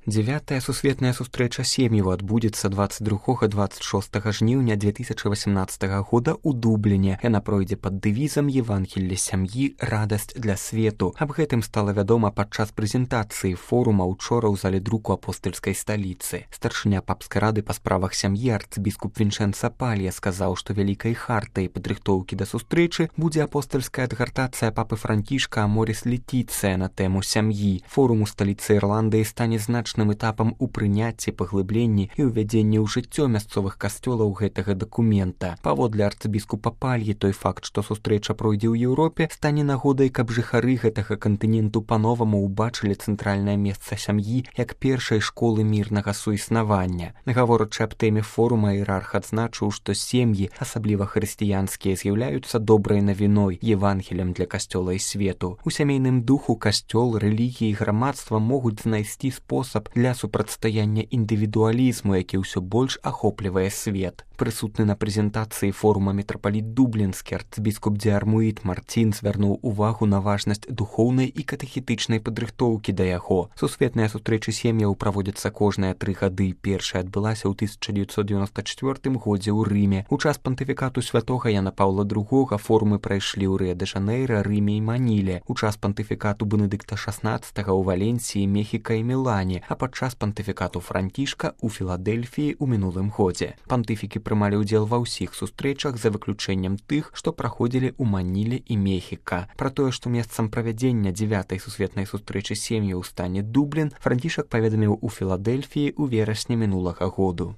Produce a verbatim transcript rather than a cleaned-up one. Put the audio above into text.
Дзявятая сусветная сустрэча сем'яў адбудзецца дваццаць другога - дваццаць шостага жніўня две тысячы васямнаццатага года ў Дубліне. Яна пройдзе пад дэвізам «Евангелле сям'і. Радасць для свету». Аб гэтым стала вядома падчас прэзентацыі форума учора ў зале друку апостальскай сталіцы. Старшыня папскай рады па справах сям'і арцыбіскуп Вінчэнца Палья сказаў, што вялікай хартай падрыхтоўкі да сустрэчы будзе апостальская адгартацыя папы Францішка Аморіс Летіцыя на тэму сям'і. Форум у сталіцы Ірландыі стане значным этапам у прыняцці, паглыбленні і ўвядзенні ў жыццё мясцовых касцёлаў гэтага дакумента. Паводле арцыбіскупа Пальі, той факт, што сустрэча пройдзе ў Еўропе, стане нагодай, каб жыхары гэтага кантыненту па-новаму ўбачылі цэнтральнае месца сям'і як першай школы мірнага суіснавання. Гаворачы аб тэме форума, іерарх адзначыў, што сем'і, асабліва хрысціянскія, з'яўляюцца добрай навіной, евангелем для касцёла і свету. У сямейным духу касцёл, рэлігіі і грамадства могуць знайсці спосаб для супрацьстаяння індывідуалізму, які ўсё больш ахоплівае свет. Прысутны на прэзентацыі форума мітрапаліт дублінскі арцыбіскуп Дзіармуіт Марцін звярнуў увагу на важнасць духоўнай і катэхетычнай падрыхтоўкі да яго. Сусветныя сустрэчы сем'яў праводзяцца кожныя тры гады. Першая адбылася ў тысяча дзевяцьсот дзевяноста чацвёртым годзе ў Рыме. У час пантыфікату святога Яна Паўла другога форумы прайшлі ў Рыа-дэ-Жанэйра, Рыме і Маніле. У час пантыфікату Бенедыкта шаснаццатага ў Валенсіі, Мехіка і Мілане, а падчас пантыфікату Францішка ў Філадэльфіі ў мінулым годзе. Пантыфікі прымалі ўдзел ва ўсіх сустрэчах за выключэннем тых, што праходзілі ў Маніле і Мехіка. Пра тое, што месцам правядзення дзявятай сусветнай сустрэчы сем'яў стане Дублін, Францішак паведаміў у Філадэльфіі ў верасні мінулага году.